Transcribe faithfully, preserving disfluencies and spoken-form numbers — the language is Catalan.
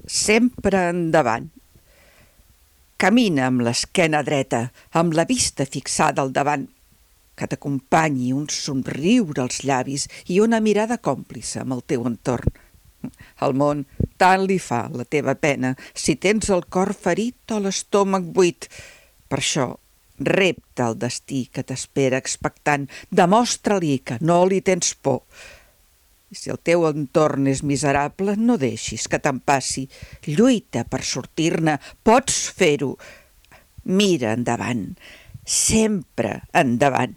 sempre endavant. Camina amb l'esquena dreta, amb la vista fixada al davant, que t'acompanyi un somriure als llavis i una mirada còmplice amb el teu entorn. Al món tant li fa la teva pena si tens el cor ferit o l'estómac buit. Per això, repta el destí que t'espera expectant, demostra-li que no li tens por. I si el teu entorn és miserable, no deixis que te'n passi. Lluita per sortir-ne, pots fer-ho. Mira endavant, sempre endavant.